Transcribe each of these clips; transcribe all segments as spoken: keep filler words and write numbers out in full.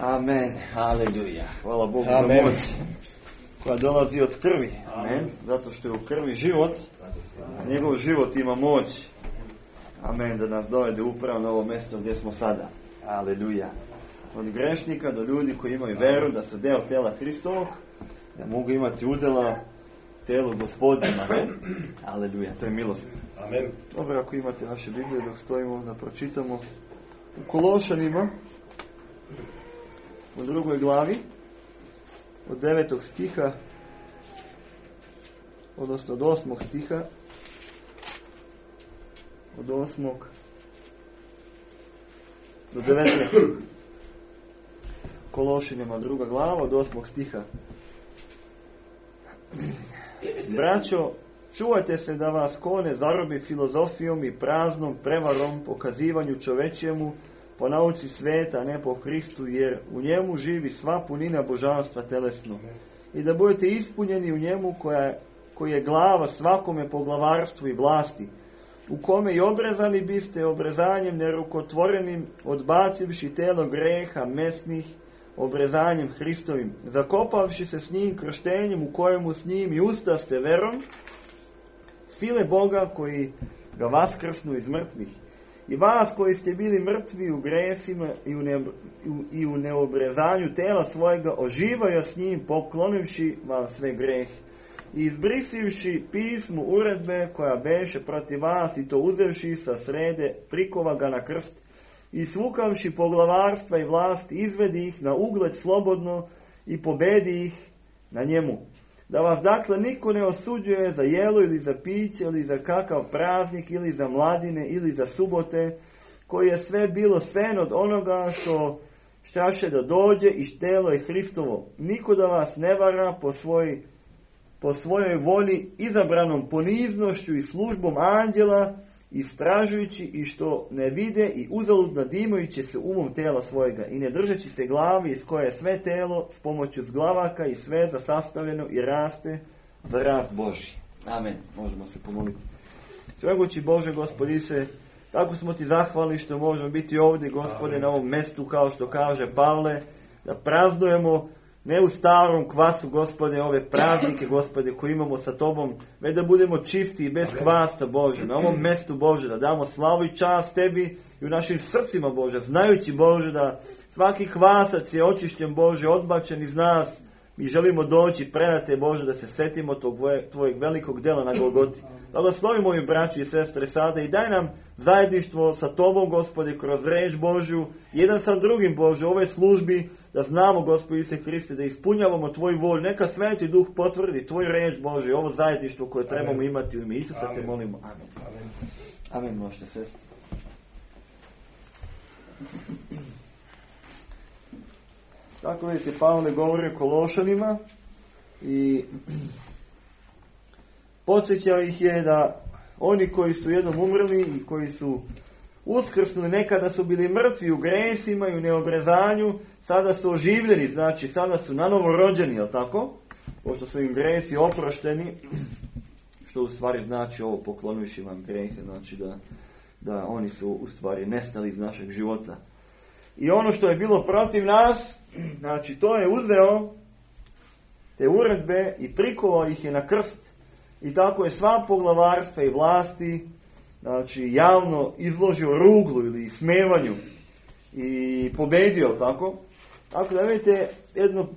Amen. Aleluja. Hvala Bogu Amen. za moć koja dolazi od krvi. Amen. Zato što je u krvi život, a njegov život ima moć. Amen. Da nas dovede upravo na ovo mjesto gdje smo sada. Aleluja. Od grešnika do ljudi koji imaju veru da su deo tela Hristovog, da mogu imati udjela telu Gospodnjem. Amen. Aleluja. To je milost. Amen. Dobro, ako imate naše Biblije dok stojimo da pročitamo u Kološanima u drugoj glavi od devetog stiha, odnosno od osmog stiha, od osmog do devetnaestog. Kološanima druga glava od osmog stiha. Braćo, čuvajte se da vas ko ne zarobi filozofijom i praznom prevarom, pokazivanju čovečjemu po nauci sveta, a ne po Hristu, jer u njemu živi sva punina božanstva telesno. I da budete ispunjeni u njemu koja, koji je glava svakome po glavarstvu i vlasti, u kome i obrezani biste obrezanjem nerukotvorenim, odbacivši telo greha mesnih, obrezanjem Hristovim, zakopavši se s njim krštenjem u kojemu s njim i ustaste verom, sile Boga koji ga vaskrsnu iz mrtvih. I vas koji ste bili mrtvi u gresima i u, ne, i u neobrezanju tela svojega, oživaju s njim, poklonivši vam sve greh. I izbrisivši pismu uredbe koja beše protiv vas, i to uzevši sa srede, prikova ga na krst, i svukavši poglavarstva i vlast, izvedi ih na ugled slobodno i pobedi ih na njemu. Da vas dakle niko ne osuđuje za jelo ili za piće ili za kakav praznik ili za mladine ili za subote, koji je sve bilo sen od onoga što štaše da dođe i štelo je Hristovo. Niko da vas ne vara po, svoj, po svojoj volji izabranom poniznošću i službom anđela, istražujući i što ne vide i uzalud nadimajući se umom tela svojega i ne držeći se glavi iz koje je sve telo s pomoću zglavaka i sveza sastavljeno i raste za rast Božji. Amen. Možemo se pomoliti. Svemogući Bože, Gospodi se, tako smo ti zahvalni što možemo biti ovdje, Gospode, na ovom mjestu, kao što kaže Pavle, da praznujemo ne u starom kvasu, Gospode, ove praznike, Gospode, koje imamo sa Tobom, već da budemo čisti i bez kvasa, Bože, na ovom mjestu, Bože, da damo slavu i čast Tebi i u našim srcima, Bože, znajući, Bože, da svaki kvasac je očišćen, Bože, odbačen iz nas. Mi želimo doći predate, Bože, da se setimo tog Tvojeg velikog dela na Golgoti. Blagoslovi moju braću i sestre sada i daj nam zajedništvo sa Tobom, Gospode, kroz reč Božju, jedan sa drugim, Bože, u ovoj službi, da znamo, Gospod Isuse Hriste, da ispunjavamo Tvoju volju. Neka Sveti Duh potvrdi Tvoju reč, Bože, ovo zajedništvo koje trebamo Amen. Imati u ime Isusa. Amen. Te molimo. Amen. Amen. Amen, možete sesti. Tako vidite, Pavle govori o Kološanima i podsjećao ih je da oni koji su jednom umrli i koji su uskrsnuli, nekada su bili mrtvi u gresima i u neobrezanju, sada su oživljeni, znači sada su nanovo rođeni, jel tako? Pošto su im gresi oprošteni, što u stvari znači ovo, poklonujući vam grehe, znači da, da oni su u stvari nestali iz našeg života. I ono što je bilo protiv nas, znači to je uzeo te uredbe i prikovao ih je na krst. I tako je sva poglavarstva i vlasti, znači javno izložio ruglu ili smevanju i pobedio, tako? Tako da vidite jedno,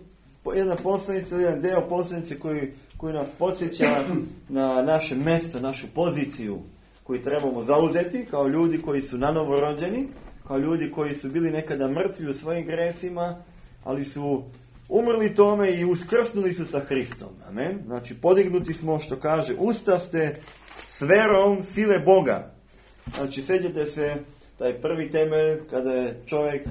jedna poslanica, jedan deo poslanice koji, koji nas podsjeća na naše mjesto, našu poziciju koju trebamo zauzeti kao ljudi koji su nanovo rođeni, kao ljudi koji su bili nekada mrtvi u svojim gresima, ali su umrli tome i uskrsnuli su sa Hristom. Amen. Znači podignuti smo, što kaže, ustaste s verom sile Boga. Znači sjećate se taj prvi temelj kada je čovjek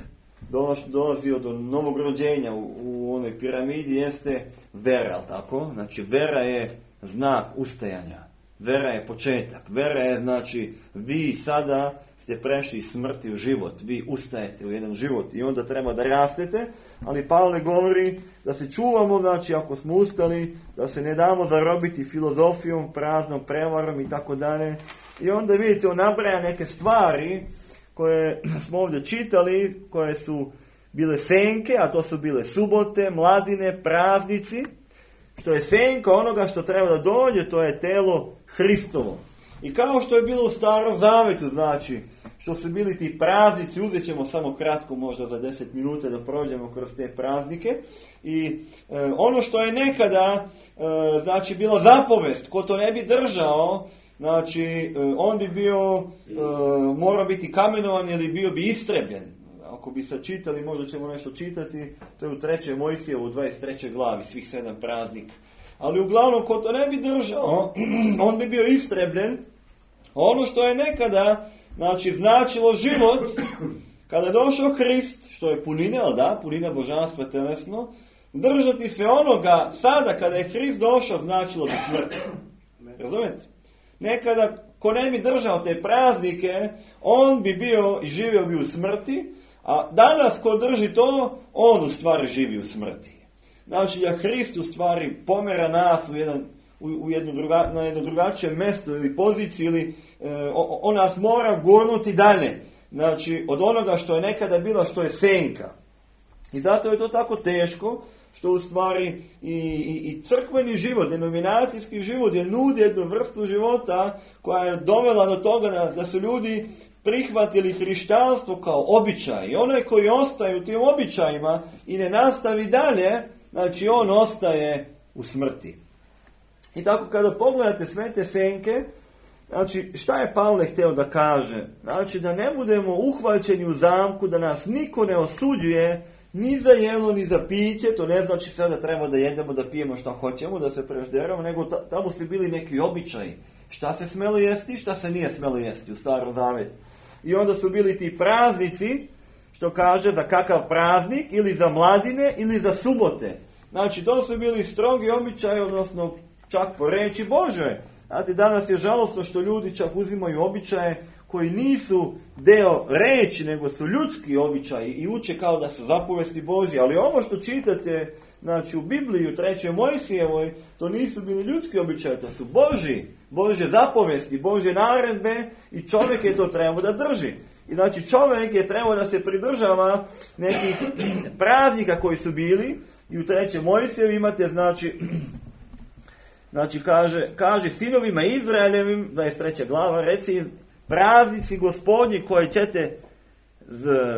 dolazio do novog rođenja u, u onoj piramidi, jeste vera, tako? Znači vera je znak ustajanja. Vera je početak. Vera je, znači, vi sada ste prešli iz smrti u život. Vi ustajete u jedan život i onda treba da rastete, ali Pavle govori da se čuvamo, znači ako smo ustali, da se ne damo zarobiti filozofijom, praznom prevarom i tako dalje. I onda vidite, on nabraja neke stvari koje smo ovdje čitali, koje su bile senke, a to su bile subote, mladine, praznici, što je senka onoga što treba da dođe, to je telo Hristovo. I kao što je bilo u Starom Zavetu, znači, što su bili ti praznici, uzet ćemo samo kratko, možda za deset minuta da prođemo kroz te praznike. I e, ono što je nekada, e, znači, bila zapovest, ko to ne bi držao, znači, e, on bi bio, e, morao biti kamenovan ili bio bi istrebljen. Ako bi sad čitali, možda ćemo nešto čitati, to je u trećoj Mojsijevu, u dvadeset trećoj glavi, svih sedam praznika. Ali uglavnom, ko to ne bi držao, on bi bio istrebljen. Ono što je nekada, znači, značilo život, kada je došao Hrist, što je punina, ali da, punina božanstva telesno, držati se onoga, sada kada je Hrist došao, značilo bi smrt. Razumijete? Nekada, ko ne bi držao te praznike, on bi bio i živio bi u smrti, a danas ko drži to, on u stvari živi u smrti. Znači da Hrist u stvari pomera nas u jedan, u, u jednu druga, na jedno drugačije mjesto ili poziciju, ili e, on nas mora gurnuti dalje. Znači od onoga što je nekada bilo, što je senka. I zato je to tako teško, što u stvari i, i, i crkveni život, denominacijski život je nudi jednu vrstu života koja je dovela do toga da, da su ljudi prihvatili hrišćanstvo kao običaj. I onaj koji ostaje u tim običajima i ne nastavi dalje, znači on ostaje u smrti. I tako kada pogledate sve te senke, znači šta je Pavle htio da kaže? Znači da ne budemo uhvaćeni u zamku, da nas niko ne osuđuje ni za jelo, ni za piće. To ne znači sada treba da jedemo, da pijemo šta hoćemo, da se prežderamo, nego ta, tamo su bili neki običaji. Šta se smelo jesti, šta se nije smelo jesti u Starom Zavetu. I onda su bili ti praznici, što kaže za kakav praznik, ili za mladine, ili za subote. Znači, to su bili strogi običaji, odnosno čak po reči Božoj. Znate, danas je žalosno što ljudi čak uzimaju običaje koji nisu deo reči, nego su ljudski običaji i uče kao da su zapovesti Božje. Ali ovo što čitate, znači u Bibliji, u trećoj Mojsijevoj, to nisu bili ljudski običaji, to su Božji, Božje zapovesti, Božje naredbe i čovjek je to trebao da drži. I znači čovjek je trebao da se pridržava nekih praznika koji su bili i u trećoj Mojsijevi imate, znači, znači kaže, kaže sinovima Izraeljevim, dvadeset treća glava, reci praznici Gospodnji koji ćete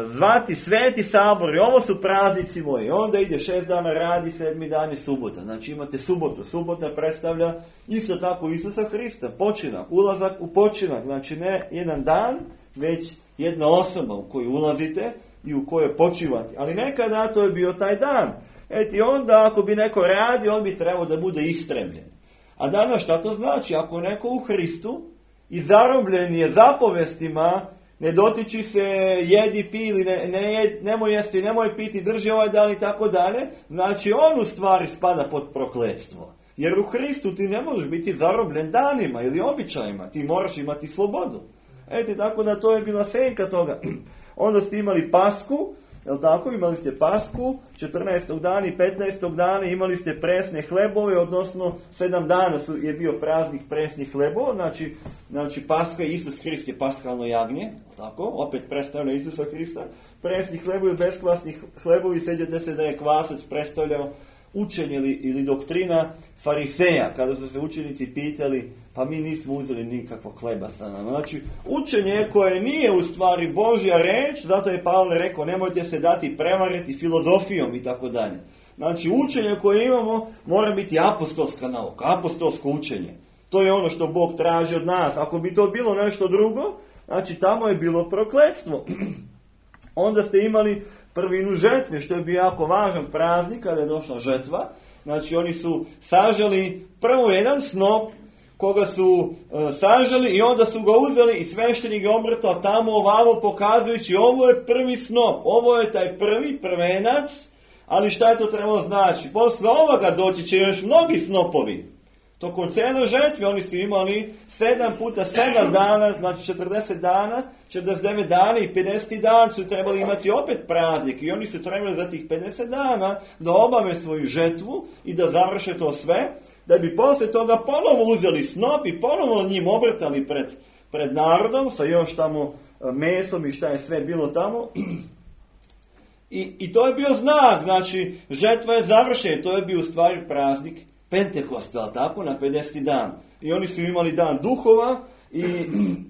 zvati sveti sabor, i ovo su praznici moji. Onda ide šest dana radi, sedmi dan je subota. Znači imate subotu. Subota predstavlja isto tako Isusa Hrista, počinak, ulazak u počinak. Znači ne jedan dan, već jedna osoba u koju ulazite i u kojoj počivate. Ali nekada to je bio taj dan. Eti onda ako bi neko radi, on bi trebao da bude istrebljen. A danas šta to znači? Ako neko u Hristu i zarobljen je zapovestima, ne dotiči se, jedi, pi ili ne, ne jed, nemoj jesti, nemoj piti, drži ovaj dan i tako dalje, znači on u stvari spada pod prokletstvo. Jer u Hristu ti ne možeš biti zarobljen danima ili običajima, ti moraš imati slobodu. Eto, tako da to je bila senka toga. Onda ste imali Pasku, jel tako, imali ste Pasku, četrnaestog dana i petnaestog dana imali ste presne hlebove, odnosno sedam dana su, je bio praznik presnih hlebova, znači, znači Paska i Isus Hrist je paskalno jagnje, tako, opet predstavlja Isusa Hrista. Presni hlebovi, beskvasni hlebovi, sećate se da je kvasac predstavljao učenje ili, ili doktrina fariseja, kada su se učenici pitali, pa mi nismo uzeli nikakvog hleba sa nama. Znači, učenje koje nije u stvari Božja reč, zato je Pavle rekao, nemojte se dati prevariti filozofijom i tako dalje. Znači, učenje koje imamo mora biti apostolska nauka, apostolsko učenje. To je ono što Bog traži od nas. Ako bi to bilo nešto drugo, znači tamo je bilo prokletstvo. Onda ste imali prvinu žetve, što je bio jako važan praznik kada je došla žetva. Znači oni su saželi prvo jedan snop, koga su e, saželi i onda su ga uzeli i sveštenik ga obrtao tamo ovamo pokazujući ovo je prvi snop, ovo je taj prvi prvenac, ali šta je to trebalo znači? Posle ovoga doći će još mnogi snopovi. Tokom cijele žetve oni su imali sedam puta sedam dana, znači četrdeset dana, četrdeset devet dana i pedeset dan su trebali imati opet praznik. I oni su trebali za tih pedeset dana da obave svoju žetvu i da završe to sve, da bi poslije toga ponovo uzeli snop i ponovo njim obrtali pred, pred narodom sa još tamo mesom i šta je sve bilo tamo. I, I to je bio znak, znači, žetva je završena, to je bio u stvari praznik Pentekosta, ali tako, na pedeseti dan. I oni su imali dan duhova i,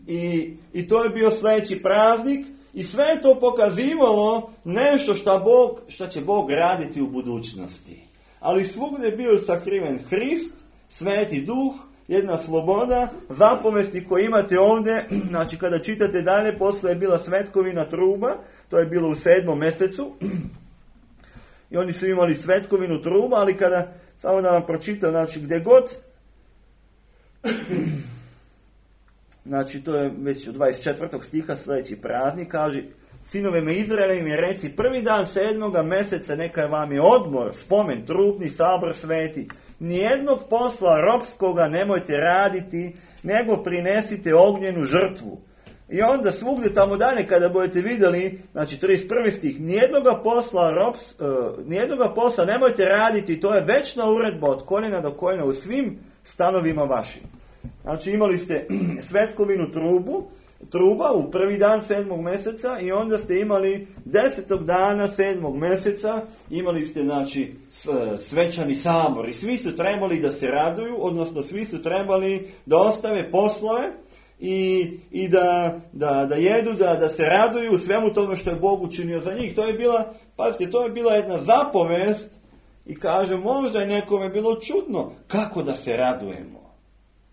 i, i to je bio sljedeći praznik i sve je to pokazivalo nešto šta, Bog, šta će Bog raditi u budućnosti. Ali svugdje je bio sakriven Hrist, Sveti Duh, jedna sloboda, zapovesti koje imate ovdje, znači kada čitate dalje, posle je bila svetkovina truba, to je bilo u sedmom mjesecu, i oni su imali svetkovinu truba, ali kada, samo da vam pročitam, znači gdje god, znači to je već u dvadeset četvrtog stiha sljedeći praznik, kaže, sinove me Izraele im je reci, prvi dan sedmoga mjeseca neka vam je odmor, spomen, trupni, sabor sveti. Nijednog posla ropskoga nemojte raditi, nego prinesite ognjenu žrtvu. I onda svugdje tamo dalje kada budete vidjeli, znači trideset prvi stih, nijednoga posla, rops, uh, nijednoga posla nemojte raditi, to je večna uredba od koljena do koljena u svim stanovima vašim. Znači imali ste svetkovinu trubu, truba u prvi dan sedmog mjeseca i onda ste imali desetog dana sedmog mjeseca, imali ste znači svečani sabor i svi su trebali da se raduju, odnosno svi su trebali da ostave poslove i, i da, da, da jedu, da, da se raduju u svemu tome što je Bog učinio za njih. To je bila, pazite, to je bila jedna zapovest i kaže, možda je nekome bilo čudno kako da se radujemo.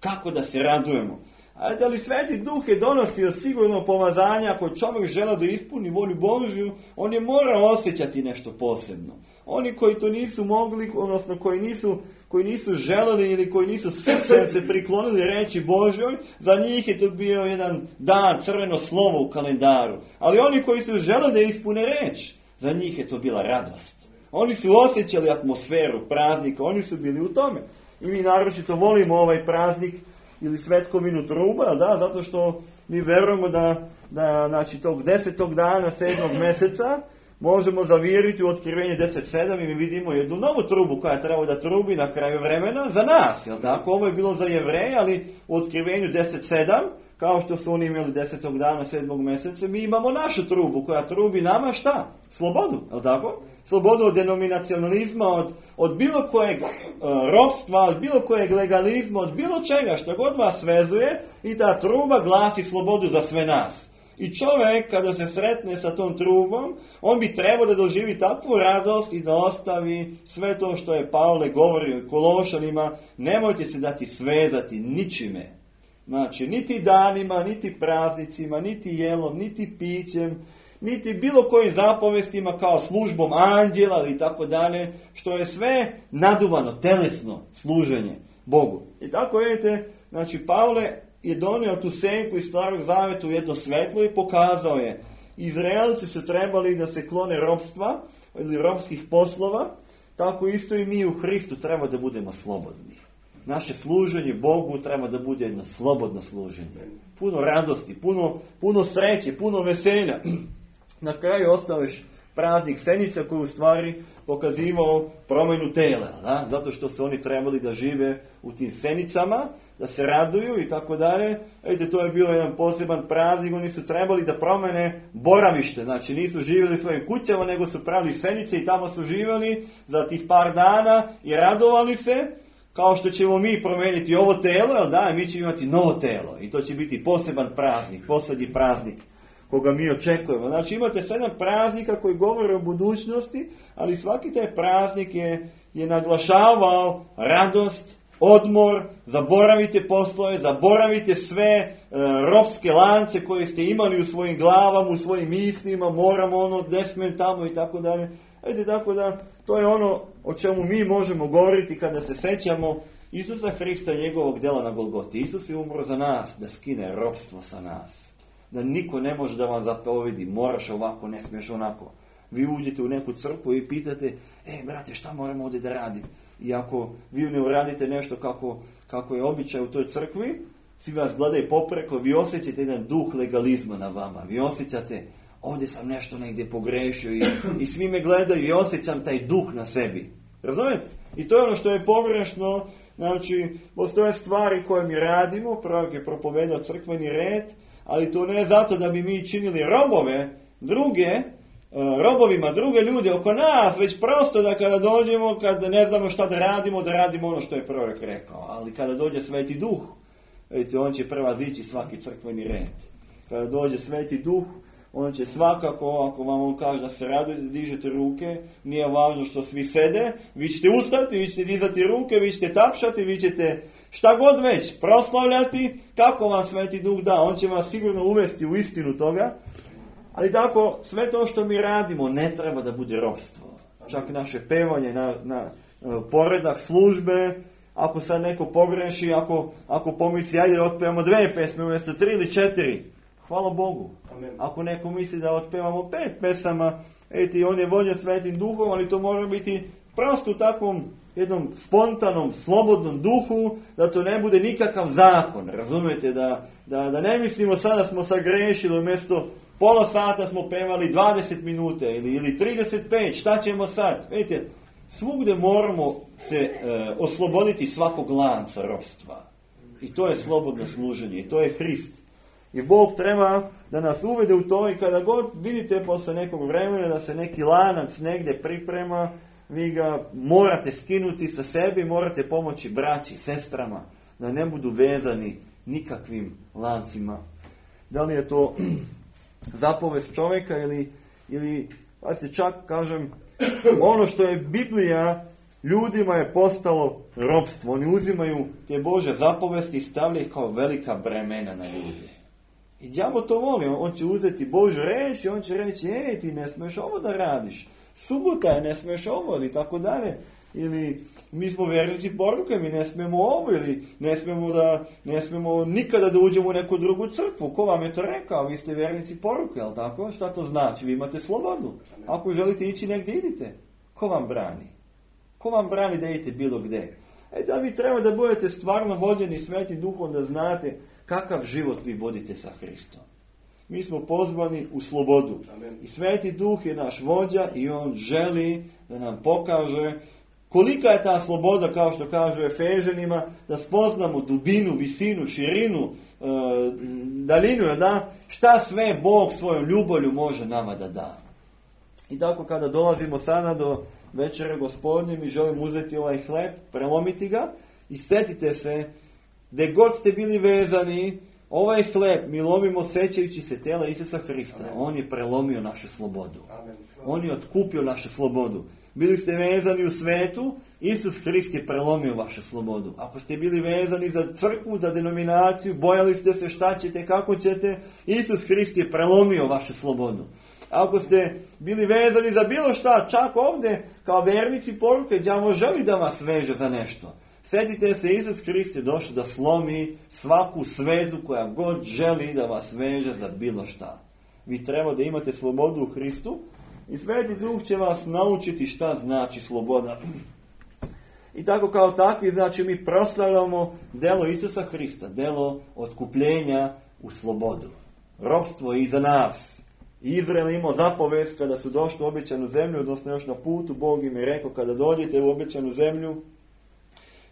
Kako da se radujemo. Ajde, ali Sveti Duh je donosio sigurno pomazanje, ako čovjek žele da ispuni volju Božju, on je morao osjećati nešto posebno. Oni koji to nisu mogli, odnosno koji nisu, koji nisu želeli ili koji nisu srcem se priklonili reći Božjoj, za njih je to bio jedan dan, crveno slovo u kalendaru. Ali oni koji su želeli da ispune reč, za njih je to bila radost. Oni su osjećali atmosferu praznika, oni su bili u tome. I mi naročito volimo ovaj praznik ili svetkovinu truba, da, zato što mi verujemo da, da znači, tog desetog dana sedmog mjeseca možemo zaviriti u Otkrivenje deset sedam i mi vidimo jednu novu trubu koja treba da trubi na kraju vremena za nas, jel tako? Ovo je bilo za Jevreje, ali u Otkrivenju deset sedam, kao što su oni imali desetog dana sedmog mjeseca, mi imamo našu trubu koja trubi nama šta? Slobodu, jel tako? Slobodu od denominacionalizma, od, od bilo kojeg uh, ropstva, od bilo kojeg legalizma, od bilo čega što god vas vezuje i ta truba glasi slobodu za sve nas. I čovjek kada se sretne sa tom trubom, on bi trebao da doživi takvu radost i da ostavi sve to što je Pavle govorio Kološanima, nemojte se dati svezati ničime. Znači, niti danima, niti praznicima, niti jelom, niti pićem, niti bilo kojim zapovestima kao službom anđela i tako dalje, što je sve naduvano, telesno služenje Bogu. I tako vidite, znači Pavle je donio tu senku iz Starog Zaveta u jedno svetlo i pokazao je. Izraelci su trebali da se klone ropstva ili ropskih poslova, tako isto i mi u Hristu treba da budemo slobodni. Naše služenje Bogu treba da bude jedno slobodno služenje. Puno radosti, puno, puno sreće, puno veselja. Na kraju ostaviš praznik Senica koji u stvari pokazivao promjenu tela, da? Zato što su oni trebali da žive u tim senicama, da se raduju i tako dalje. Vidite, to je bio jedan poseban praznik, oni su trebali da promene boravište, znači nisu živjeli u svojim kućama, nego su pravili senice i tamo su živjeli za tih par dana i radovali se, kao što ćemo mi promijeniti ovo telo, jel da, mi ćemo imati novo telo i to će biti poseban praznik, posljednji praznik koga mi očekujemo. Znači imate sedam praznika koji govore o budućnosti, ali svaki taj praznik je, je naglašavao radost, odmor, zaboravite poslove, zaboravite sve e, ropske lance koje ste imali u svojim glavama, u svojim mislima, moramo ono, ne smijem tamo i tako dalje. Ajde, tako da, to je ono o čemu mi možemo govoriti kada se sećamo Isusa Hrista i njegovog dela na Golgoti. Isus je umro za nas, da skine ropstvo sa nas. Da niko ne može da vam zapovedi, moraš ovako, ne smiješ onako. Vi uđete u neku crkvu i pitate, e, brate, šta moramo ovdje da radim? I ako vi ne uradite nešto kako, kako je običaj u toj crkvi, svi vas gledaju popreko, vi osjećate jedan duh legalizma na vama. Vi osjećate, ovdje sam nešto negdje pogrešio i, i svi me gledaju i osjećam taj duh na sebi. Razumete? I to je ono što je pogrešno. Znači, postoje stvari koje mi radimo, prorok je propovedao crkveni red, ali to ne zato da bi mi činili robove druge, robovima druge ljude oko nas, već prosto da kada dođemo, kad ne znamo šta da radimo, da radimo ono što je prorok rekao. Ali kada dođe Sveti Duh, vidite, on će prevazići svaki crkveni red. Kada dođe Sveti Duh, on će svakako, ako vam on kaže da se radujete, dižete ruke, nije važno što svi sede, vi ćete ustati, vi ćete dizati ruke, vi ćete tapšati, vi ćete šta god već proslavljati, kako vam Sveti Duh da, on će vas sigurno uvesti u istinu toga. Ali tako, sve to što mi radimo ne treba da bude ropstvo. Čak naše pevanje na, na poredak službe, ako sad neko pogreši, ako, ako pomisli, ajde da otpevamo dve pesme umjesto tri ili četiri, hvala Bogu. Amen. Ako neko misli da otpevamo pet pesama, eti on je vođen Svetim Duhom, ali to mora biti prosto u takvom jednom spontanom, slobodnom duhu, da to ne bude nikakav zakon. Razumijete, da, da, da ne mislimo sada smo sagrešili, umjesto pola sata smo pevali dvadeset minuta ili, ili trideset pet, šta ćemo sad? Vidite, svugdje moramo se e, osloboditi svakog lanca ropstva. I to je slobodno služenje, i to je Hrist. I Bog treba da nas uvede u to i kada god vidite posle nekog vremena da se neki lanac negdje priprema, vi ga morate skinuti sa sebi, morate pomoći braći, sestrama, da ne budu vezani nikakvim lancima. Da li je to zapovest čovjeka ili, ili pa se čak kažem, ono što je Biblija ljudima je postalo ropstvo. Oni uzimaju te Božje zapovesti i stavljaju kao velika bremena na ljude. I đavo to voli, on će uzeti Božju reč i on će reći, ej, ti ne smiješ ovo da radiš, subota je, ne smiješ ovo, ili tako dalje. Ili mi smo vjernici poruke, mi ne smijemo ovo, ili ne smijemo, da, ne smijemo nikada da uđemo u neku drugu crkvu. Ko vam je to rekao? Vi ste vjernici poruke, jel tako? Šta to znači? Vi imate slobodu. Ako želite ići negdje, idite. Ko vam brani? Ko vam brani da idete bilo gdje? E da vi treba da budete stvarno vođeni Svetim Duhom, da znate kakav život vi vodite sa Hristom. Mi smo pozvani u slobodu. Amen. I Sveti Duh je naš vođa i on želi da nam pokaže kolika je ta sloboda, kao što kažu Efežanima, da spoznamo dubinu, visinu, širinu, e, daljinu, da, šta sve Bog svojom ljubavlju može nama da da. I tako kada dolazimo sada do večere Gospodnje, mi želimo uzeti ovaj hleb, prelomiti ga i setite se, gdje god ste bili vezani, ovaj hleb mi lomimo sećajući se tela Isusa Hrista. Amen. On je prelomio našu slobodu. Amen. On je otkupio našu slobodu. Bili ste vezani u svetu, Isus Hrist je prelomio vašu slobodu. Ako ste bili vezani za crkvu, za denominaciju, bojali ste se šta ćete, kako ćete, Isus Hrist je prelomio vašu slobodu. Ako ste bili vezani za bilo šta, čak ovdje, kao vernici poruke, đavo želi da vas veže za nešto. Sjetite se, Isus Hrist je došao da slomi svaku svezu koja god želi da vas veže za bilo šta. Vi treba da imate slobodu u Hristu i Sveti Duh će vas naučiti šta znači sloboda. I tako kao takvi, znači mi proslavljamo delo Isusa Hrista, delo otkupljenja u slobodu. Ropstvo je iza nas. Izrael imao zapovest kada su došli u obećanu zemlju, odnosno još na putu, Bog im je rekao kada dođete u obećanu zemlju,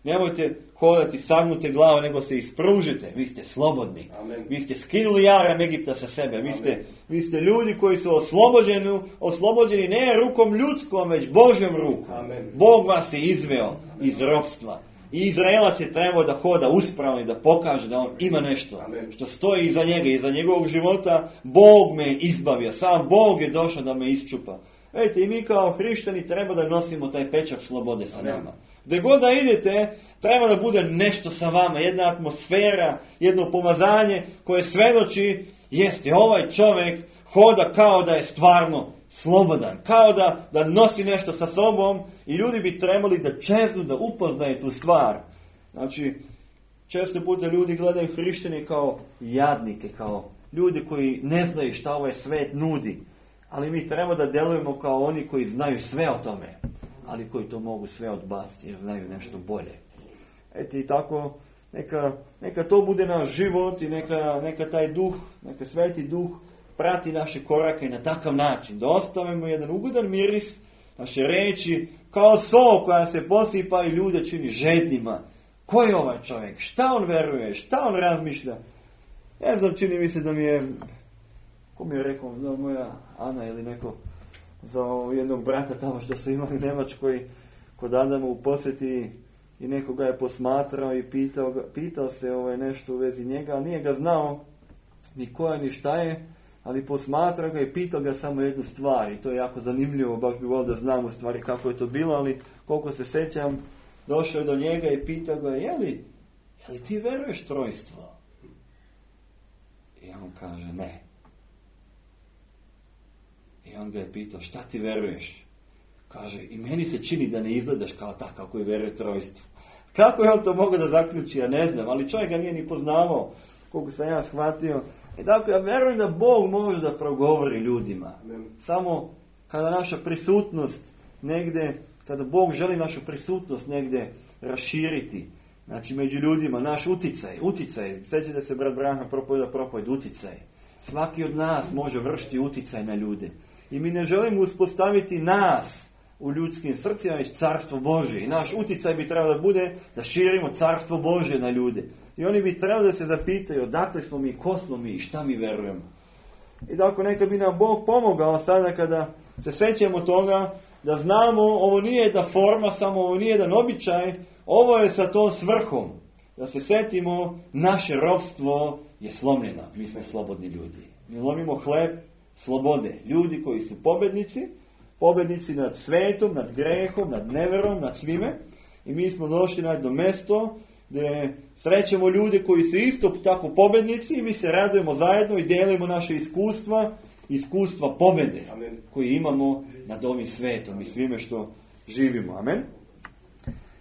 nemojte hodati sagnute glave, nego se ispružite. Vi ste slobodni. Amen. Vi ste skinuli jaram Egipta sa sebe. Vi ste, vi ste ljudi koji su oslobođeni, oslobođeni ne rukom ljudskom, već Božjom rukom. Amen. Bog vas je izveo Amen. Iz ropstva. I Izraelac je trebao da hoda uspravno i da pokaže da on ima nešto. Amen. Što stoji iza njega, iza njegovog života. Bog me je izbavio. Sam Bog je došao da me isčupa. Vidite, i mi kao hrišćani treba da nosimo taj pečak slobode sa Amen. Nama. Gdje god da idete, treba da bude nešto sa vama, jedna atmosfera, jedno pomazanje koje svedoči, jeste, ovaj čovjek hoda kao da je stvarno slobodan, kao da, da nosi nešto sa sobom i ljudi bi trebali da čeznu, da upoznaju tu stvar. Znači, često puta ljudi gledaju hrišćane kao jadnike, kao ljudi koji ne znaju šta ovaj svet nudi, ali mi treba da delujemo kao oni koji znaju sve o tome, ali koji to mogu sve odbaciti jer znaju nešto bolje. Eto i tako, neka, neka to bude naš život i neka, neka taj duh, neka Sveti Duh prati naše korake na takav način, da ostavimo jedan ugodan miris, naše reči, kao so koja se posipa i ljude čini žednima. Ko je ovaj čovjek? Šta on veruje? Šta on razmišlja? Ne znam, čini mi se da mi je, ko mi je rekao, da moja Ana ili neko, za jednog brata tamo što su imali u Njemačkoj kod Adama u posjeti i nekoga je posmatrao i pitao, pitao se ovaj, nešto u vezi njega, ali nije ga znao ni ko je ni šta je, ali posmatrao ga i pitao ga samo jednu stvar i to je jako zanimljivo, baš bi volio da znam u stvari kako je to bilo, ali koliko se sjećam, došao je do njega i pitao ga, je li, je li ti veruješ trojstvo? I on kaže, ne. I on ga je pitao, šta ti veruješ? Kaže, i meni se čini da ne izgledaš kao takav koji veruje trojstvu. Kako je on to mogao da zaključi, ja ne znam, ali čovjek ga nije ni poznavao, koliko sam ja shvatio. I dakle, ja verujem da Bog može da progovori ljudima. Samo kada naša prisutnost negdje, kada Bog želi našu prisutnost negdje raširiti, znači među ljudima, naš uticaj, uticaj, sjećate se brat Branha propovjeda propovjed, uticaj. Svaki od nas može vršiti uticaj na ljude. I mi ne želimo uspostaviti nas u ljudskim srcima, već carstvo Božje. I naš uticaj bi trebao da bude da širimo carstvo Božje na ljude. I oni bi trebali da se zapitaju odakle smo mi, ko smo mi i šta mi verujemo. I dakle, neka bi nam Bog pomogao sada kada se sećamo toga da znamo, ovo nije jedna forma, samo ovo nije jedan običaj, ovo je sa tom svrhom. Da se setimo, naše ropstvo je slomljeno. Mi smo slobodni ljudi. Mi lomimo hleb slobode. Ljudi koji su pobednici, pobednici nad svetom, nad grehom, nad neverom, nad svime. I mi smo došli na jedno mesto gdje srećemo ljude koji su isto tako pobednici i mi se radujemo zajedno i delimo naše iskustva, iskustva pobede koji imamo nad ovim svetom i svime što živimo. Amen.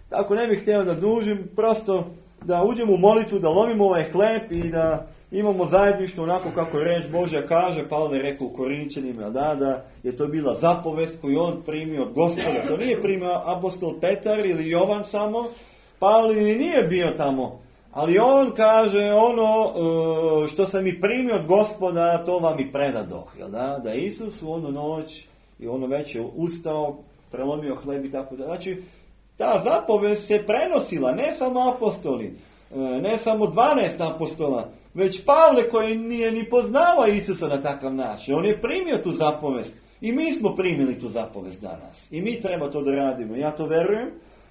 Tako ne bih htio da dužim, prosto da uđemo u molitvu, da lomimo ovaj hleb i da imamo zajedništvo onako kako reč Božja kaže. Pavle je rekao u Korinčanima da, da je to bila zapovest koju on primio od Gospoda. To nije primio apostol Petar ili Jovan samo. Pavle nije bio tamo. Ali on kaže ono što sam i primio od Gospoda, to vam i predadoh. Jel da? Da je Isus u onu noć i ono večer ustao, prelomio hleb i tako da. Znači, ta zapovest se prenosila, ne samo apostoli, ne samo dvanaest apostola, već Pavle koji nije ni poznavao Isusa na takav način. On je primio tu zapovest i mi smo primili tu zapovest danas. I mi treba to da radimo. Ja to verujem.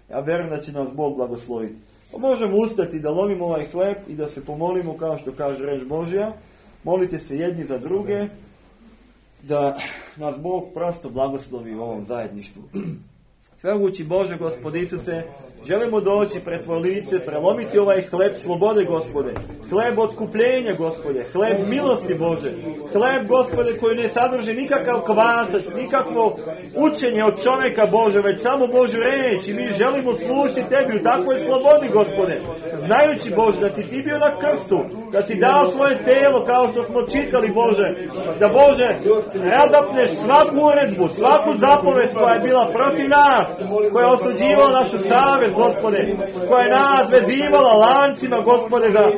Ja verujem da će nas Bog blagosloviti. Pa možemo ustati da lomimo ovaj hleb i da se pomolimo kao što kaže reč Božja. Molite se jedni za druge da nas Bog prosto blagoslovi u ovom zajedništvu. Svemogući Bože, Gospod Isuse, želimo doći pred Tvoje lice, prelomiti ovaj hleb slobode, Gospode. Hleb otkupljenja, Gospode. Hleb milosti, Bože. Hleb, Gospode, koji ne sadrži nikakav kvasac, nikakvo učenje od čovjeka, Bože, već samo Božju reč. I mi želimo služiti Tebi u takvoj slobodi, Gospode. Znajući, Bože, da si Ti bio na krstu, da si dao svoje telo, kao što smo čitali, Bože. Da, Bože, razapneš svaku uredbu, svaku zapovest koja je bila protiv nas, koja je osuđivala našu savjest, Gospode, koja je nas vezivala lancima, Gospode, za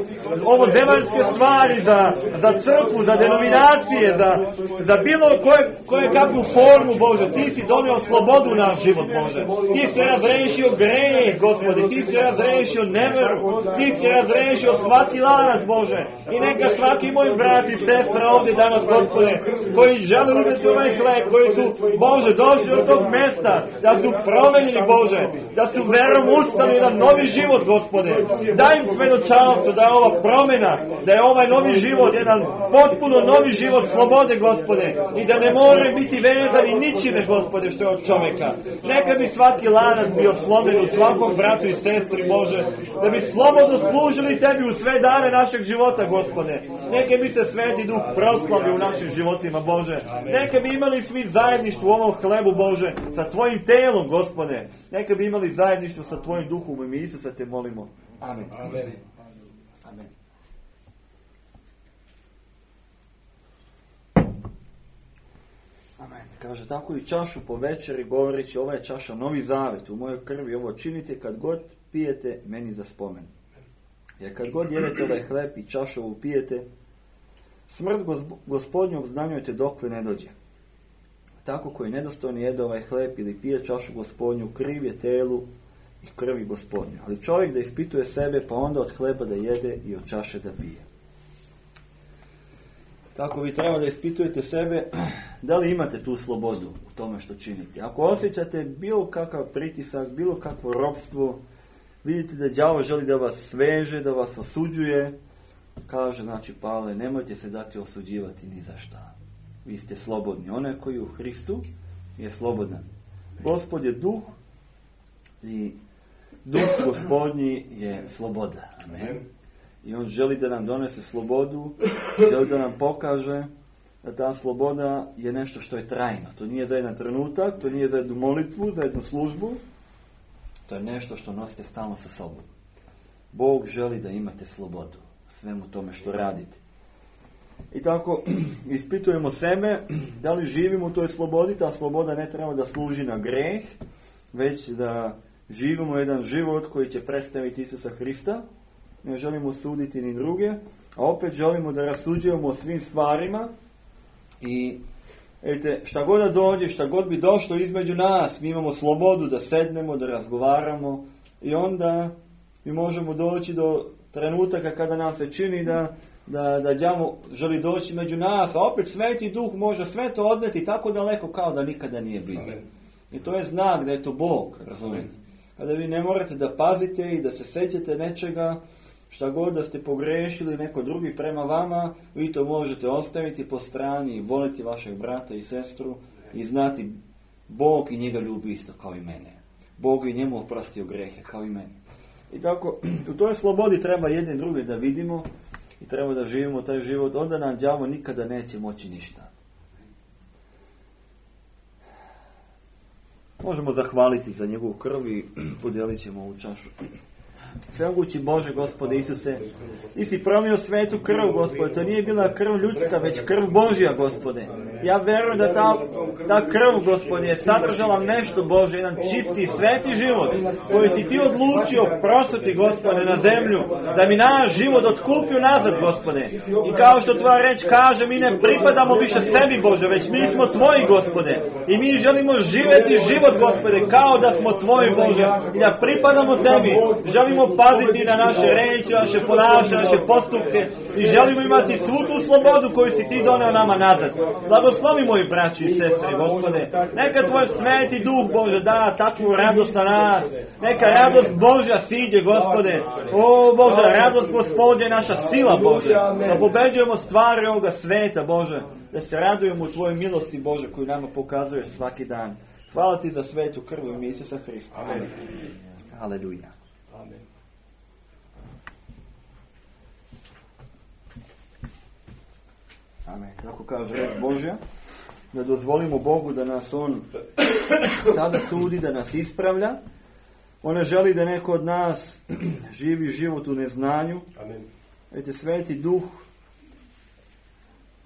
ovo zemaljske stvari, za, za crkvu, za denominacije, za, za bilo koje, koje kakvu formu, Bože. Ti si donio slobodu u naš život, Bože. Ti si razrešio grijeh, Gospode. Ti si razrešio neveru. Ti si razrešio svaki lanac, Bože. I neka svaki moj brat i sestra ovdje danas, Gospode, koji žele uzeti ovaj hleb, koji su, Bože, došli od tog mjesta, da su promenjeni, Bože, da su verom ustali jedan novi život, Gospode. Daj im svedočanstvo da je ova promjena, da je ovaj novi život jedan potpuno novi život slobode, Gospode, i da ne more biti vezani ničime, Gospode, što je od čovjeka. Neka bi svaki lanac bio slomljen u svakom bratu i sestri, Bože, da bi slobodno služili Tebi u sve dane našeg života, Gospode. Neka bi se Sveti Duh proslavio u našim životima, Bože. Neka bi imali svi zajedništvo u ovom hlebu, Bože, sa Tvojim telom, Gospode. Neka bi imali zajedništvo sa Tvojim Duhom. U ime Isusa Te molimo. Amen. Amen. Amen. Amen. Kaže, tako i čašu po večeri govoreći, ova je čaša novi zavet, u mojoj krvi ovo činite kad god pijete meni za spomen. Jer kad god jedete ovaj hleb i čašu ovu pijete, smrt Gospodnju obznanjujete dokle ne dođe. Tako koji nedostojni jede ovaj hleb ili pije čašu Gospodnju, kriv je telu i krvi Gospodnju. Ali čovjek da ispituje sebe, pa onda od hleba da jede i od čaše da pije. Tako vi treba da ispitujete sebe da li imate tu slobodu u tome što činite. Ako osjećate bilo kakav pritisak, bilo kakvo ropstvo, vidite da đavo želi da vas sveže, da vas osuđuje, kaže, znači, Pavle, nemojte se dati osuđivati ni za šta. Vi ste slobodni. Onaj koji je u Hristu je slobodan. Gospod je duh i duh Gospodnji je sloboda. Amen. I on želi da nam donese slobodu, želi da nam pokaže da ta sloboda je nešto što je trajno. To nije za jedan trenutak, to nije za jednu molitvu, za jednu službu. To je nešto što nosite stalno sa sobom. Bog želi da imate slobodu svemu tome što radite. I tako ispitujemo sebe da li živimo u toj slobodi. Ta sloboda ne treba da služi na greh, već da živimo jedan život koji će predstaviti Isusa Hrista. Ne želimo suditi ni druge, a opet želimo da rasuđujemo o svim stvarima. I vidite, šta god da dođe, šta god bi došlo između nas, mi imamo slobodu da sednemo, da razgovaramo i onda mi možemo doći do trenutaka kada nam se čini da, da, da đavo želi doći među nas, a opet Sveti Duh može sve to odneti tako daleko kao da nikada nije bilo. Amen. I to je znak da je to Bog, razumijete. Kada vi ne morate da pazite i da se sećate nečega, šta god da ste pogrešili neko drugi prema vama, vi to možete ostaviti po strani i voliti vašeg brata i sestru i znati Bog i njega ljubi isto kao i mene. Bog i njemu oprostio grehe kao i mene. I tako, u toj slobodi treba jedne druge da vidimo i treba da živimo taj život, onda nam đavo nikada neće moći ništa. Možemo zahvaliti za njegovu krv i podijelit ćemo ovu čašu. Svemogući Bože, Gospode Isuse, ti si prolio svetu krv, Gospode, to nije bila krv ljudska, već krv Božja, Gospode. Ja verujem da ta, ta krv, Gospode, je sadržala nešto, Bože, jedan čisti, sveti život, koji si ti odlučio prosuti, Gospode, na zemlju, da mi naš život otkupio nazad, Gospode. I kao što tvoja reč kaže, mi ne pripadamo više sebi, Bože, već mi smo tvoji, Gospode. I mi želimo živjeti život, Gospode, kao da smo tvoji, Bože, i da pripadamo tebi. Želimo paziti na naše reči, naše ponašanje, naše postupke i želimo imati svu tu slobodu koju si ti doneo nama nazad. Blagoslovi moji braći i sestre, Gospode. Neka tvoj sveti duh, Bože, da takvu radost na nas. Neka radost Božja siđe, Gospode. O Bože, radost Gospodnja je naša sila, Bože. Da pobeđujemo stvari ovoga sveta, Bože. Da se radujemo u tvojoj milosti, Bože, koju nama pokazuješ svaki dan. Hvala ti za svetu krv u ime Isusa Hrista. Amen. Haleluja. Amen. Amen. Tako kaže reč Božja, da dozvolimo Bogu da nas On sada sudi, da nas ispravlja. On ne želi da neko od nas živi život u neznanju. Amen. Vidite, Sveti Duh,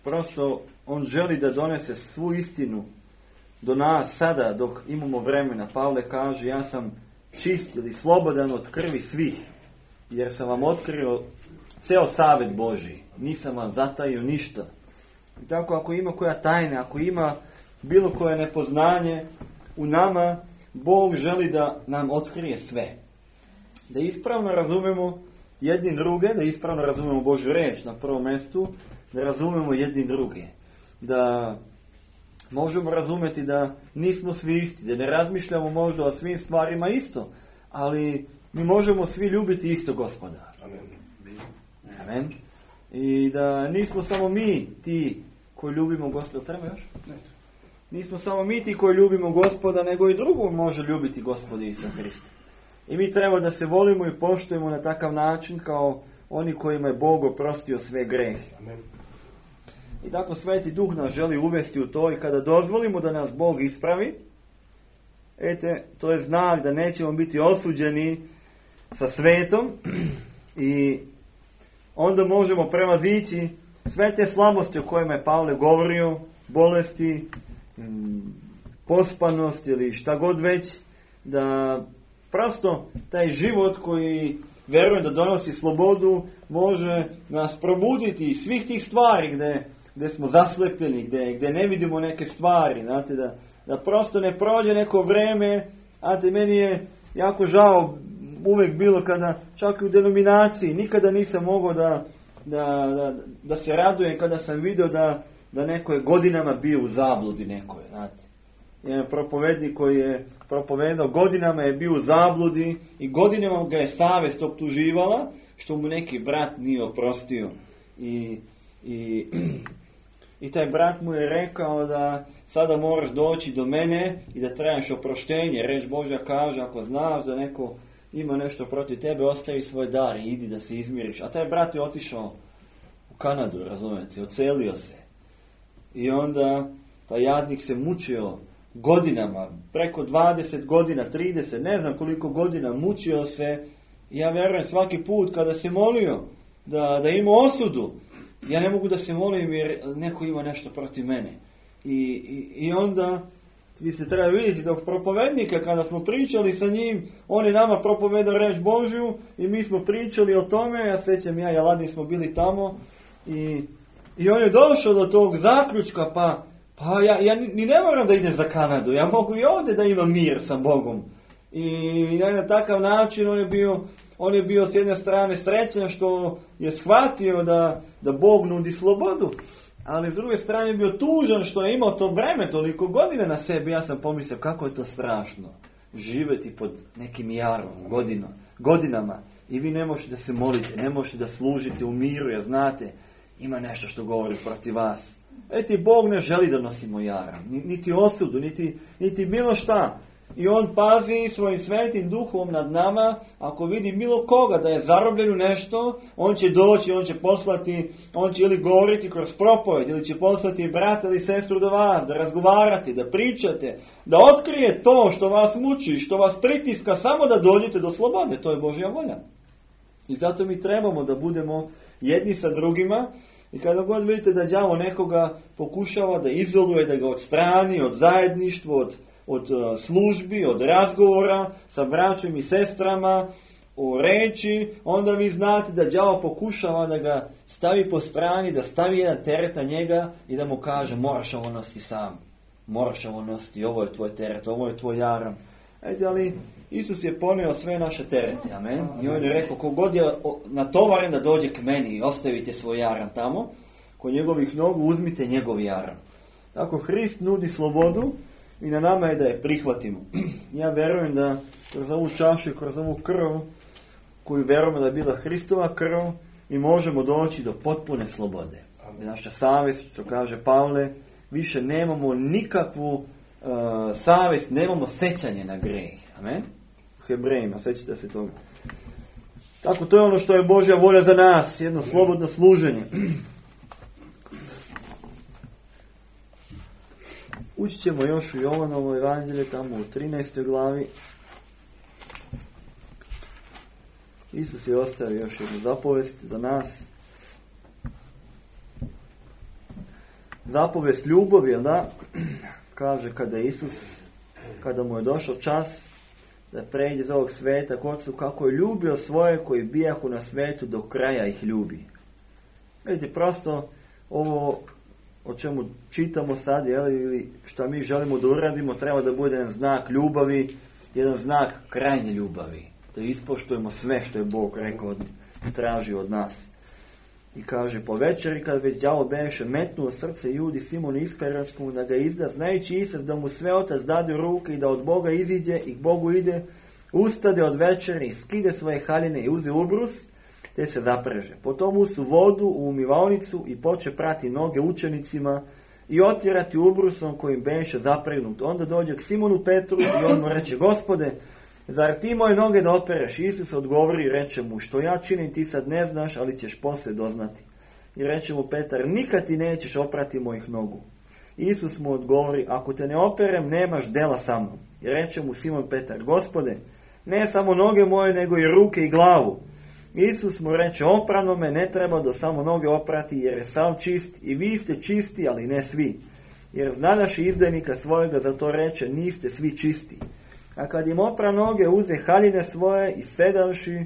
prosto On želi da donese svu istinu do nas sada dok imamo vremena. Pavle kaže, ja sam čist ili slobodan od krvi svih, jer sam vam otkrio ceo savjet Božji. Nisam vam zatajio ništa. I tako ako ima koja tajna, ako ima bilo koje nepoznanje u nama, Bog želi da nam otkrije sve. Da ispravno razumemo jedni druge, da ispravno razumemo Božju reč na prvom mjestu, da razumemo jedni druge. Da možemo razumjeti da nismo svi isti, da ne razmišljamo možda o svim stvarima isto, ali mi možemo svi ljubiti isto Gospoda. Amen. Amen. I da nismo samo mi ti koji ljubimo Gospoda. Treba još? Ne. Nismo samo mi ti koji ljubimo Gospoda, nego i drugo može ljubiti Gospoda Isusa Hrista. I mi treba da se volimo i poštujemo na takav način kao oni kojima je Bog oprostio sve grehe. Amen. I tako Sveti Duh nas želi uvesti u to i kada dozvolimo da nas Bog ispravi, ete, to je znak da nećemo biti osuđeni sa svetom i onda možemo prevazići sve te slabosti o kojima je Pavle govorio, bolesti, pospanost ili šta god već, da prosto taj život koji verujem da donosi slobodu može nas probuditi iz svih tih stvari gdje, gdje smo zaslepljeni, gdje, gdje ne vidimo neke stvari, znate, da, da prosto ne prođe neko vreme. Znate, meni je jako žao uvijek bilo kada, čak i u denominaciji, nikada nisam mogao da, da, da, da se radujem kada sam vidio da, da neko je godinama bio u zabludi nekoj, znate. Jedan propovednik koji je propovedao, godinama je bio u zabludi i godinama ga je savjest optuživala što mu neki brat nije oprostio. I, i, i taj brat mu je rekao da sada moraš doći do mene i da tražiš oproštenje. Reč Božja kaže, ako znaš da neko ima nešto protiv tebe, ostavi svoj dar i idi da se izmiriš. A taj brat je otišao u Kanadu, razumijete, ocelio se. I onda pa jadnik se mučio godinama, preko dvadeset godina, trideset, ne znam koliko godina, mučio se. I ja vjerujem svaki put kada se molio da, da ima osudu, ja ne mogu da se molim jer neko ima nešto protiv mene. I, i, i onda vi se treba vidjeti dok propovednika, kada smo pričali sa njim, on je nama propovedao reč Božju i mi smo pričali o tome, ja sećam ja i Aladin smo bili tamo i, i on je došao do tog zaključka, pa, pa ja, ja ni ne moram da idem za Kanadu, ja mogu i ovdje da imam mir sa Bogom. I na takav način on je bio, on je bio s jedne strane srećan što je shvatio da, da Bog nudi slobodu, ali s druge strane je bio tužan što je imao to breme toliko godina na sebi. Ja sam pomislio kako je to strašno živjeti pod nekim jarom godino, godinama i vi ne možete da se molite, ne možete da služite u miru, jer znate ima nešto što govori protiv vas. Eti Bog ne želi da nosimo jaram, niti osudu, niti, niti bilo šta. I on pazi svojim svetim duhom nad nama, ako vidi bilo koga da je zarobljen u nešto, on će doći, on će poslati, on će ili govoriti kroz propoved, ili će poslati brata ili sestru do vas, da razgovarate, da pričate, da otkrije to što vas muči, što vas pritiska, samo da dođete do slobode. To je Božja volja. I zato mi trebamo da budemo jedni sa drugima. I kada god vidite da đavo nekoga pokušava da izoluje, da ga odstrani od zajedništva, od od službi, od razgovora sa braćom i sestrama, o reči, onda vi znate da đavo pokušava da ga stavi po strani, da stavi jedan teret na njega i da mu kaže moraš ovo nositi sam, moraš ovo nositi, ovo je tvoj teret, ovo je tvoj jaram. Ejte, ali Isus je ponio sve naše terete, amen. I on je rekao, kogod je natovaren da dođe k meni i ostavite svoj jaram tamo, kod njegovih nogu uzmite njegov jaram. Tako Hrist nudi slobodu, i na nama je da je prihvatimo. Ja vjerujem da kroz ovu čašu i kroz ovu krv, koju vjerujemo da je bila Hristova krv, mi možemo doći do potpune slobode. I naša savjest, što kaže Pavle, više nemamo nikakvu uh, savjest, nemamo sećanje na greh. Amen? U Hebrejima, sećate se toga. Tako, to je ono što je Božja volja za nas, jedno slobodno služenje. Ući ćemo još u Jovanovo evanđelje, tamo u trinaestoj glavi. Isus je ostavio još jednu zapovest za nas. Zapovest ljubavi, jel da? Kaže kada Isus, kada mu je došao čas da pređe iz ovog sveta k Otcu, kako je ljubio svoje koji bijahu na svetu, do kraja ih ljubi. Vidite, prosto ovo o čemu čitamo sad, jel, ili šta mi želimo da uradimo, treba da bude jedan znak ljubavi, jedan znak krajnje ljubavi. Da ispoštujemo sve što je Bog rekao, traži od nas. I kaže, po večeri, kad već đavo beše metnuo srce Judi Simonu Iskarijotskom da ga izda, znajući Isus da mu sve Otac dade u ruke i da od Boga iziđe i k Bogu ide, ustade od večeri, skide svoje haljine i uze ubrus, te se zapreže. Potom usu vodu u umivaonicu i poče prati noge učenicima i otjerati ubrusom kojim beše zapregnut. Onda dođe k Simonu Petru i on mu reče, Gospode, zar ti moje noge da opereš? Isus odgovori i reče mu, što ja činim ti sad ne znaš, ali ćeš poslije doznati. I reče mu Petar, nikad ti nećeš oprati mojih nogu. Isus mu odgovori, ako te ne operem, nemaš dela sa mnom. I reče mu Simon Petar, Gospode, ne samo noge moje, nego i ruke i glavu. Isus mu reče, oprano me ne treba do samo noge oprati, jer je sav čist, i vi ste čisti, ali ne svi. Jer znadaš izdajnika svojega, zato reče, niste svi čisti. A kad im opra noge, uze haljine svoje i sedavši,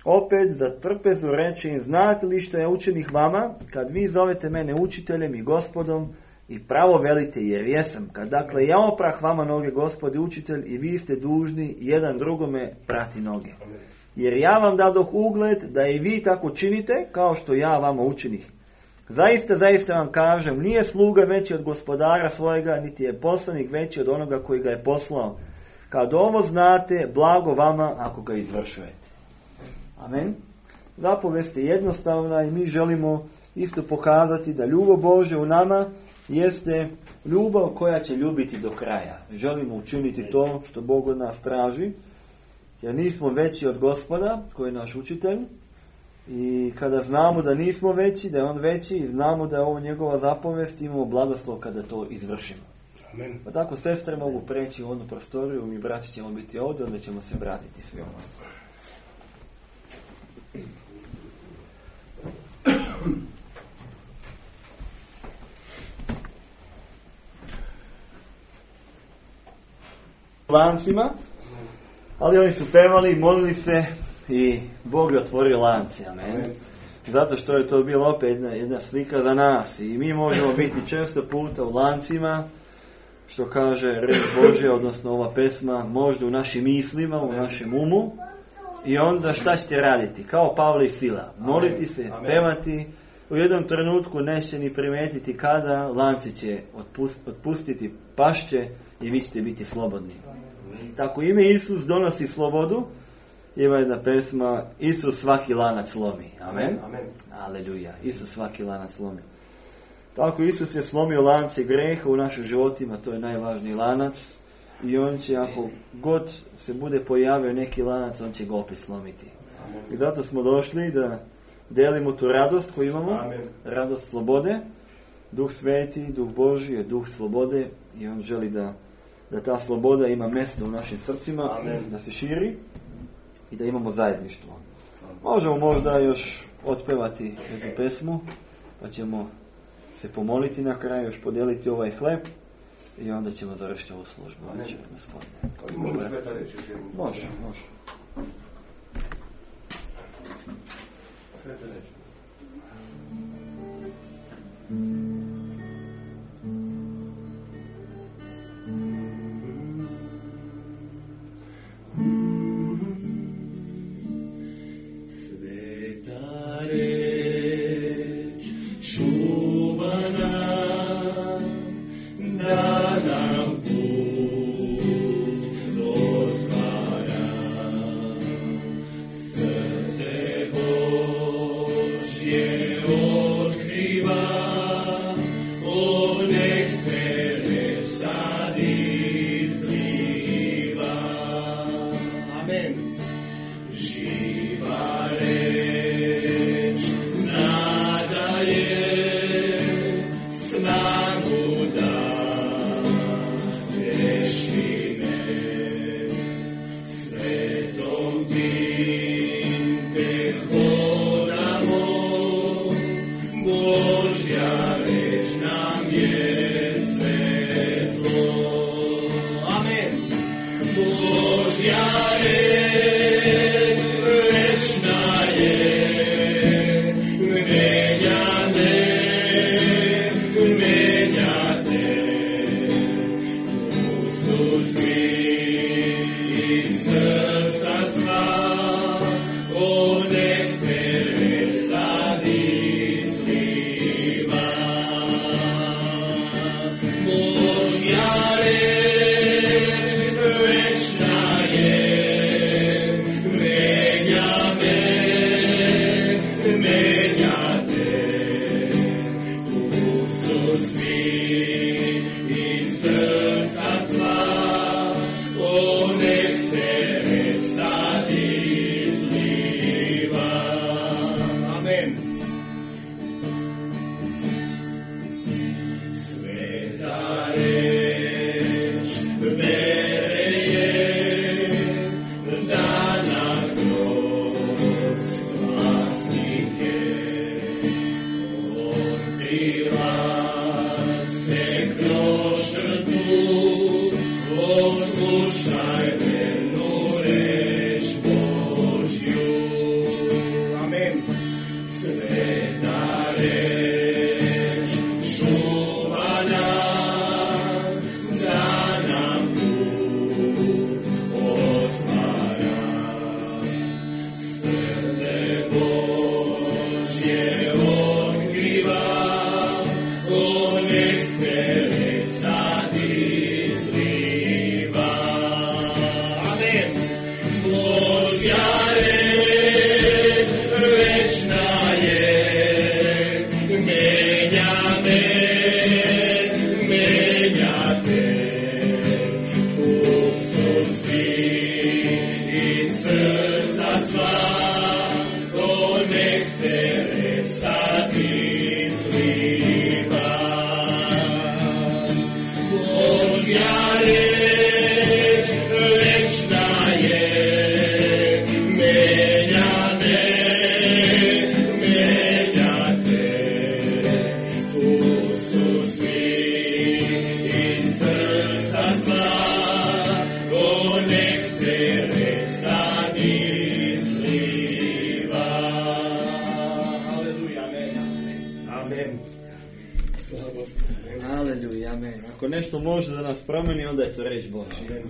opet za trpezu reče im, znate li što je učenih vama, kad vi zovete mene učiteljem i gospodom, i pravo velite, jer jesam. Kad dakle ja oprah vama noge, Gospod i učitelj, i vi ste dužni jedan drugome prati noge. jer ja vam dadoh ugled da i vi tako činite kao što ja vama učinih. Zaista, zaista vam kažem, nije sluga veći od gospodara svojega, niti je poslanik veći od onoga koji ga je poslao. Kad ovo znate, blago vama ako ga izvršujete. Amen. Zapovest je jednostavna i mi želimo isto pokazati da ljubav Božja u nama jeste ljubav koja će ljubiti do kraja. Želimo učiniti to što Bog od nas traži, jer nismo veći od Gospoda koji je naš učitelj. I kada znamo da nismo veći, da je on veći i znamo da je ovo njegova zapovest, imamo blagoslov kada to izvršimo. Amen. Pa tako sestre mogu preći u onu prostoriju, mi braći ćemo biti ovdje, onda ćemo se vratiti svi ovdje. Lancima, ali oni su pevali, molili se i Bog je otvorio lance. Amen. Amen. Zato što je to bilo opet jedna, jedna slika za nas i mi možemo biti često puta u lancima, što kaže reč Božja, odnosno ova pesma, možda u našim mislima, u našem umu, i onda šta ćete raditi? Kao Pavle i Sila, moliti se, Amen. pevati, u jednom trenutku neće ni primetiti kada, lanci će otpust, otpustiti pašće i vi ćete biti slobodni. Tako ime Isus donosi slobodu. Ima jedna pesma, Isus svaki lanac lomi. Amen. Amen. Aleluja. Isus svaki lanac lomi. Tako Isus je slomio lance greha u našim životima, to je najvažniji lanac. I on će, ako god se bude pojavio neki lanac, on će ga opet slomiti. Amen. I zato smo došli da delimo tu radost koju imamo. Amen. Radost slobode. Duh Sveti, Duh Božji je Duh slobode i on želi da, da ta sloboda ima mjesto u našim srcima, Amen. da se širi i da imamo zajedništvo. Možemo možda još otpevati jednu pesmu, pa ćemo se pomoliti na kraju, još podijeliti ovaj hleb i onda ćemo završiti ovu službu. Amen. Može, Može sveta reći. može. može. Sveta reći. Božja reč večna je. što može da nas promeni, onda je to riječ Božja.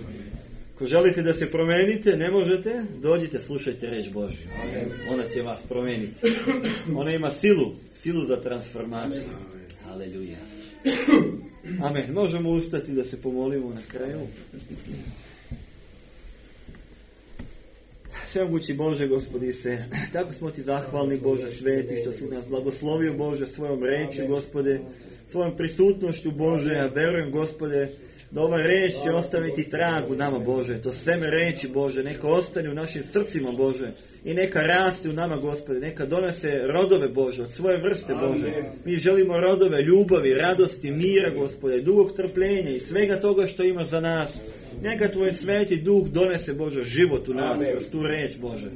Ako želite da se promenite, ne možete, dođite, slušajte riječ Božju. Ona će vas promeniti. Ona ima silu, silu za transformaciju. Aleluja. Amen. Možemo ustati da se pomolimo na kraju. Svemogući Bože, Gospodi se, tako smo ti zahvalni, Bože sveti, što si nas blagoslovio, Bože, svojom reči, Gospode, svojom prisutnošću, Bože. Ja verujem, Gospode, da ova reč će ostaviti trag u nama, Bože. To seme reči, Bože, neka ostane u našim srcima, Bože. I neka raste u nama, Gospode. Neka donese rodove, Bože, od svoje vrste, Bože. Mi želimo rodove ljubavi, radosti, mira, Gospode, dugog trpljenja i svega toga što ima za nas. Neka Tvoj sveti duh donese, Bože, život u nas, kroz tu reč, Bože.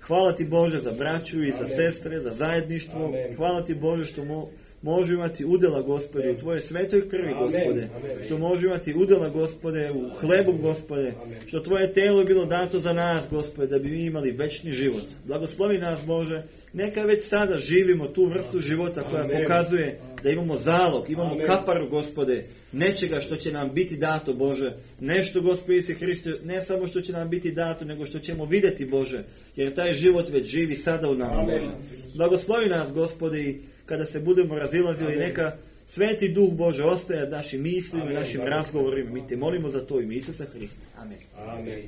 Hvala Ti, Bože, za braću i za sestre, za zajedništvo. Hvala Ti, Bože, što mo može imati udjela, Gospode, u Tvoje svetoj krvi, Gospode. Što može imati udjela, Gospode, u hlebu, Gospode. Što Tvoje telo je bilo dato za nas, Gospode, da bi mi imali večni život. Blagoslovi nas, Bože. Neka već sada živimo tu vrstu života koja pokazuje da imamo zalog, imamo kaparu, Gospode, nečega što će nam biti dato, Bože. Nešto, Gospode Isuse Hriste, ne samo što će nam biti dato, nego što ćemo vidjeti, Bože. Jer taj život već živi sada u nama, Bože. Blagoslovi nas, Gospode, i kada se budemo razilazili, neka Sveti Duh Bože ostaje našim mislima i našim razgovorima. Mi te molimo za to ime Isusa Hrista. Amen. Amen.